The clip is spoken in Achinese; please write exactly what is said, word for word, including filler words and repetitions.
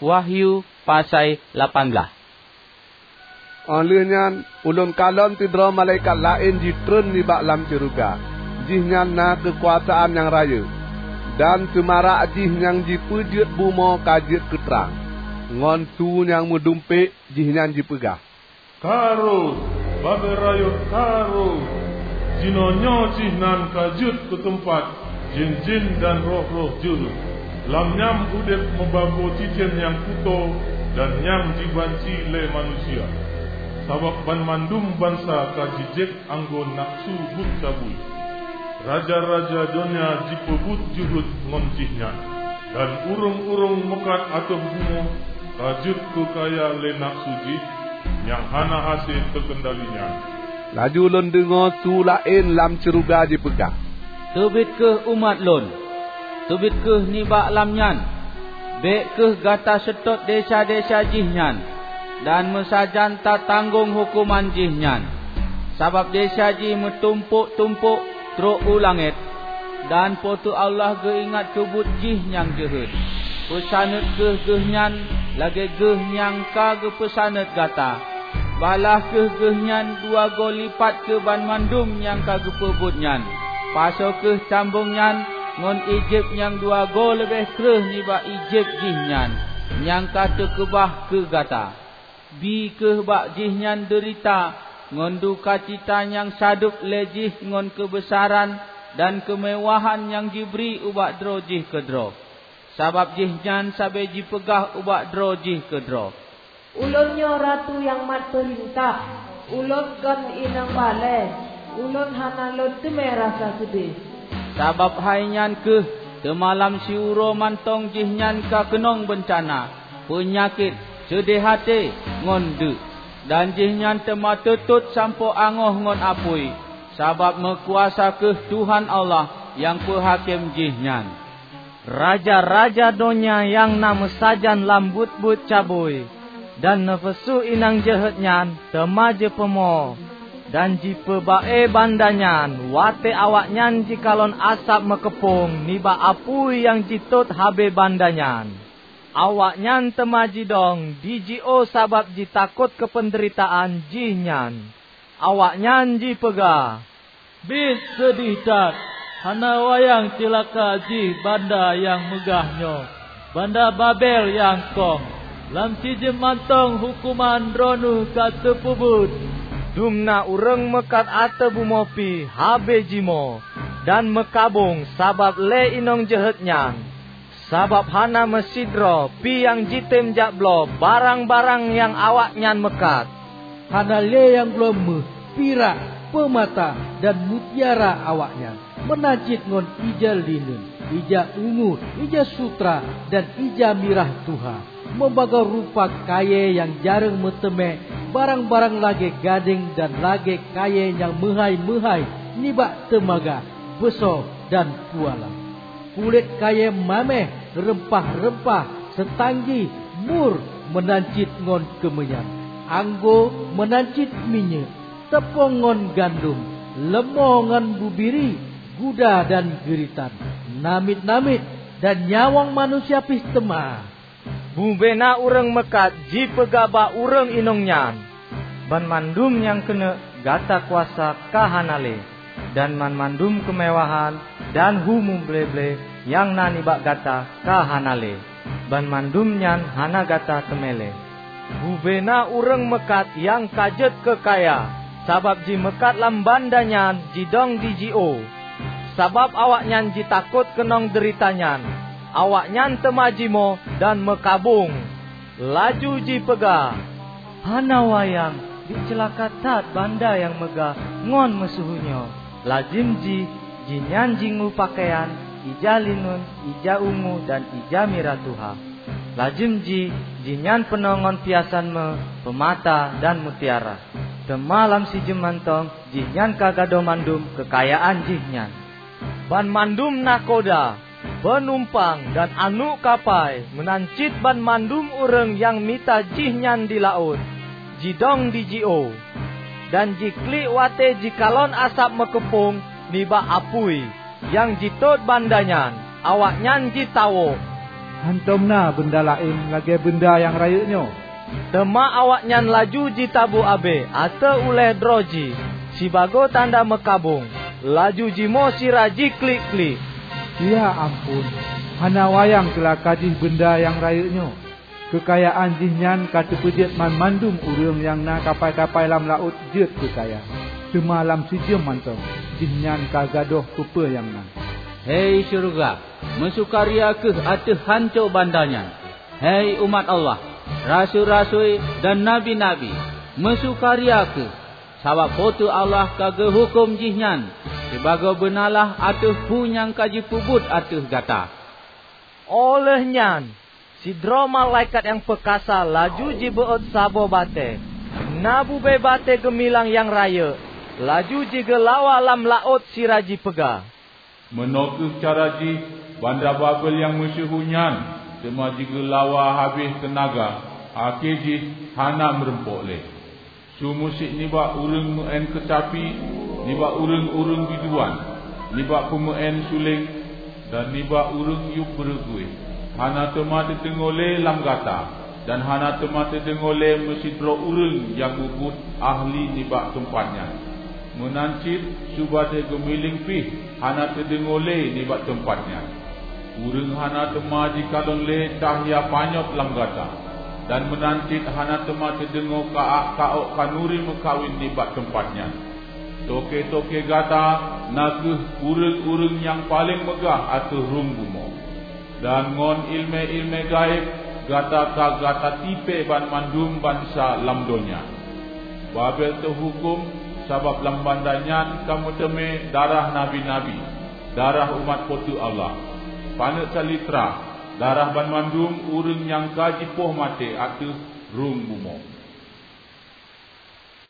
Wahyu pasai lapan blaih. Óh lheueh nyan, ulôn kalon sidroe malaikat laén jitreun nibak lam syeuruga. Jihnyan na keukuasaan nyang rayeuk, dan seumarak jih nyang jipeujeuet bumoe ka jeuet keu trang. Ngon su nyang meudumpék jihnyan jipeugah, "Ka rhot, bak rayeuk ka rhot! Jinoenyoe jih nan ka jeuet keu teumpat jén-jén dan roh-roh jeuhet. Lam nyan udeb meubagoe cicém nyang kutoe dan nyang jibanci lé manusia. Sabab banmandum bansa ka jijép anggô nafeusu buet cabui. Raja-raja donya jipeubuet jeuhet ngon jihnyan, dan ureuëng-ureuëng meukat ateueh bumoe ka jeuet keu kaya lé nafeusu jih nyang hana hase teukeundali nyan." Laju lôn deungoe su laén lam syeuruga jipeugah, "Teubiet kheueh umat lôn! Teubiet kheueh nibak lam nyan! Bék kheueh gata seutôt desya-desya jihnyan, dan meusajan tatanggong huköman jihnyan. Sabab desya jih meutumpôk-tumpôk trok u langét, dan Po teu Allah geuingat keu buet jih nyang jeuhet. Peusaneut kheueh geuhnyan lagée geuh nyang ka geupeusaneut gata. Balaih kheueh geuhnyan dua goe lipat keu banmandum nyang ka geupeubuet nyan. Pasoe kheueh cambong nyan ngon Ijép nyang dua goe leubeh kreueh nibak Ijép jihnyan nyang ka teukeubah keu gata. Bi kheueh bak jihnyan deurita ngon dukacita nyang sadub lé jih ngon keubeusaran dan keumeuwahan nyang jibri ubak droe jih keudroe. Sabab jihnyan sabe jipeugah ubak droe jih keudroe, 'Ulôn nyoe Ratu nyang mat peurintah. Ulôn kon inong balée. Ulôn hana lôn teumé rasa keudeh.' Sabab hai nyan kheueh teuma lam siuroe mantong jihnyan ka keunong beuncana, peunyakét, seudeh até, ngon deuk. Dan jihnyan teuma teutot sampoe angoh ngon apui, sabab meukuasa kheueh Tuhan Allah nyang peuhakém jihnyan. Raja-raja donya nyang na meusajan lam buet-buet cabui dan neufeusu inong jeuhet nyan teuma jipeumoe dan jipeuba-e banda nyan watée awaknyan jikalon asab meukeupong nibak apui nyang jitot habéh banda nyan. Awaknyan teuma jidong di jiôh sabab jitakot keu peundeuritaan jihnyan. Awaknyan jipeugah, "Biet seudeh that! Hana wayang ceulaka jih banda nyang meugah nyoe, banda Babel nyang kông! Lam sijeuem mantong huköman droeneueh ka teupeubuet!" Dumna ureuëng meukat ateueh bumoe pih habéh jimoe dan meukabong sabab lé inong jeuhet nyan. Sabab hana meusidroe pih nyang jitem jak bloe barang-barang nyang awaknyan meukat. Hana lé nyang bloe méuh, pirak, peumata, dan mutiara awaknyan, meunan cit ngon ija lineun, ija ungu, ija sutra, dan ija mirah tuha, meubagoe rupa kayée nyang jareueng meuteumé, barang-barang lagée gadéng dan lagée kayée nyang meuhái-meuhái nibak teumaga, beusoe, dan pualam. Kulét kayée maméh, reumpah-reumpah, seutanggi, mur, meunan cit ngon keumeunyan, anggô, meunan cit minyeuk, teupông ngon gandom, leumo ngon bubiri, guda dan geuritan, namiet-namiet, dan nyawöng manusia pih teuma. Bubena ureuëng meukat jipeugah bak ureuëng inong nyan, "Banmandum nyang keuneuk gata kuasa ka hana lé, dan banmandum keumeuwahan dan hu muble-ble nyang na nibak gata ka hana lé. Banmandum nyan hana gata teumé lé." Bubena ureuëng meukat nyang ka jeuet keu kaya, sabab jimeukat lam banda nyan jidong di jiôh. Sabab awaknyan jitakot keunong deurita nyan, awaknyan teuma jimoe dan meukabong. Laju jipeugah, "Hana wayang, biet ceulaka that banda nyang meugah ngon meusyeuhu nyoe! Lazem jih, jihnyan jingu peukayan ija lineun, ija ungu, dan ija mirah tuha. Lazem jih, jihnyan peunoh ngon piasan méuh, peumata, dan mutiara. Teuma lam sijeuem mantong jihnyan ka gadôh mandum keukayaan jihnyan." Banmandum nakhoda, peunumpang, dan aneuëk kapai, meunan cit banmandum ureuëng nyang mita jihnyan di laôt, jidong di jiôh, dan jiklik watée jikalon asab meukeupong nibak apui nyang jitot banda nyan. Awaknyan jitawök. "Hántom na beunda laén lagée beunda nyang rayeuk nyoe." Teuma awaknyan laju jitabu abée ateueh ulée droe jih sibagoe tanda meukabong, laju jimoe sira jiklik-klik, "Ya amphon, hana wayang ceulaka jih beunda nyang rayeuk nyoe! Keukayaan jih nyan ka teupeujeuet banmandum ureuëng nyang na kapai-kapai lam laôt jeuet keu kaya. Teuma lam sijeuem mantong, jihnyan ka gadôh peue-peue nyang na." Hei syeuruga, meusukaria kheueh ateueh hanco banda nyan! Hei umat Allah, rasui-rasui dan nabi-nabi, meusukaria kheueh! Sabab Po teu Allah ka geuhuköm jihnyan sibagoe beunalah ateueh peue nyang ka jipeubuet ateueh gata. Óh lheueh nyan, sidroe malaikat nyang peukasa laju jibeuôt saboh batée, na bubée batée geumilang nyang rayeuk, laju jigeulawa lam laôt sira jipeugah, "Meunoe kheueh cara jih banda Babel nyang meusyeuhu nyan teuma jigeulawa habéh teunaga, akhé jih hana meurumpok lé. Su musik nibak ureuëng meu'én keucapi, nibak ureuëng-ureuëng biduan, nibak peumeu'én suléng, dan nibak ureuëng yub beureuguih, hana teuma teudeungoe lé lam gata, dan hana teuma teudeungoe lé meusidroe ureuëng nyang mubuet ahli nibak teumpat nyan. Meunan cit su batée geumiléng pih hana teudeungoe lé nibak teumpat nyan. Ureuëng hana teuma jikalon lé cahya panyöt lam gata, dan meunan cit hana teuma teudeungoe ka-ak ka-ok khanuri meukawen nibak teumpat nyan. Toke-toke gata na kheueh ureuëng-ureuëng nyang paleng meugah ateueh rhueng bumoe. Dan ngon iéleumé-iéleumé gaéb gata ka gata tipée banmandum bansa lam donya. Babel teuhuköm, sabab lam banda nyan ka meuteumé darah nabi-nabi, darah umat Po teu Allah, paneuk saleubra, darah banmandum ureuëng nyang ka jipoh maté ateueh rhueng bumoe.